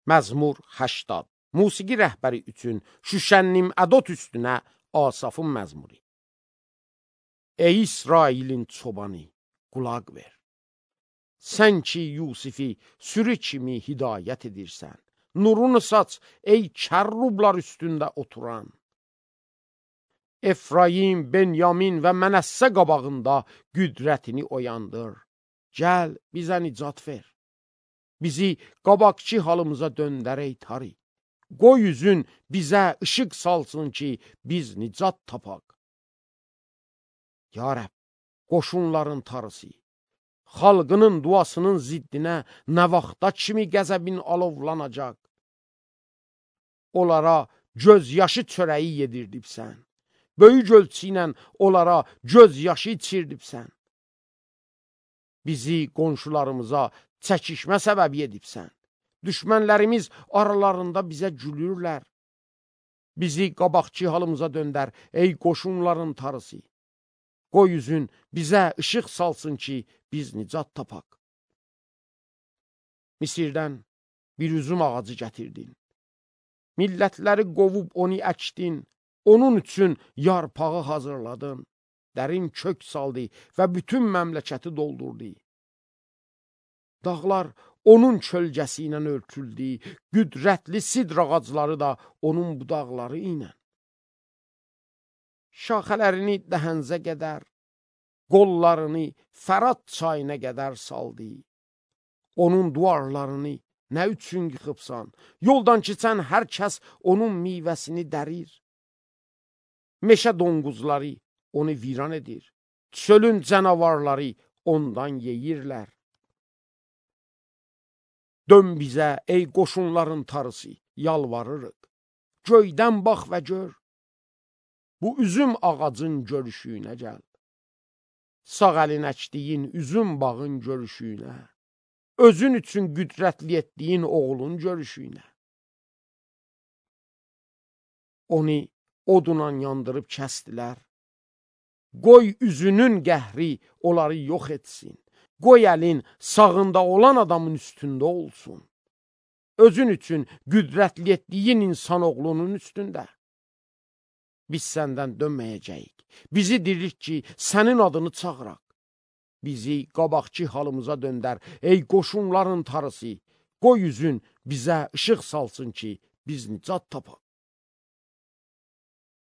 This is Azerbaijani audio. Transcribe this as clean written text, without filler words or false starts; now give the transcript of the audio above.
Məzmur 80. Musiqi rəhbəri üçün Şüşənnim ədot üstünə Asafın məzmuri. Ey İsrailin çobanı, qulaq ver. Sən ki Yusifi sürü kimi hidayət edirsən, nurunu saç ey kərrublar üstündə oturan. Efraim, Benyamin və Mənəssə qabağında qüdrətini oyandır. Gəl, bizə nicat ver. Bizi qabaqçı halımıza döndər ey tarı. Qoy üzün bizə işıq salsın ki, biz nicat tapaq. Ya Rəbb, qoşunların tarısı, xalqının duasının ziddinə nə vaxta kimi qəzəbin alovlanacaq? Onlara göz yaşı çörəyi yedirdibsən. Böyük ölçü ilə onlara göz yaşı içirdibsən. Bizi qonşularımıza çəkişmə səbəbi edibsən. Düşmənlərimiz aralarında bizə gülürlər. Bizi qabaqçı halımıza döndər, ey qoşunların tarısı. Qoy üzün bizə işıq salsın ki, biz nicat tapaq. Misirdən bir üzüm ağacı gətirdin. Millətləri qovub onu əkdin, onun üçün yarpağı hazırladın. Dərin kök saldı və bütün məmləkəti doldurdu. Dağlar onun kölgəsi ilə örtüldü, qüdrətli sidr ağacları da onun budaqları ilə. Şaxələrini dəhənzə qədər, qollarını Fərat çayına qədər saldı. Onun duvarlarını nə üçün yıxıbsan? Yoldan keçən hər kəs onun meyvəsini dərir. Meşə donquzları onu viran edir. Çölün canavarları ondan yeyirlər. Dön bizə, ey qoşunların tarısı, yalvarırıq. Göydən bax və gör. Bu üzüm ağacın görüşüyünə gəl. Sağ əlin əkdiyin üzüm bağın görüşüyünə. Özün üçün qüdrətli etdiyin oğlun görüşüyünə. Onu odunla yandırıb kəstilər. Qoy üzünün qəhri onları yox etsin. Qoy əlin sağında olan adamın üstündə olsun. Özün üçün qüdrətli etdiyin insan oğlunun üstündə. Biz səndən dönməyəcəyik. Bizi dirilt ki, sənin adını çağıraq. Bizi qabaqçı halımıza döndər, ey qoşunların tarısı. Qoy üzün bizə işıq salsın ki, biz nicat tapaq.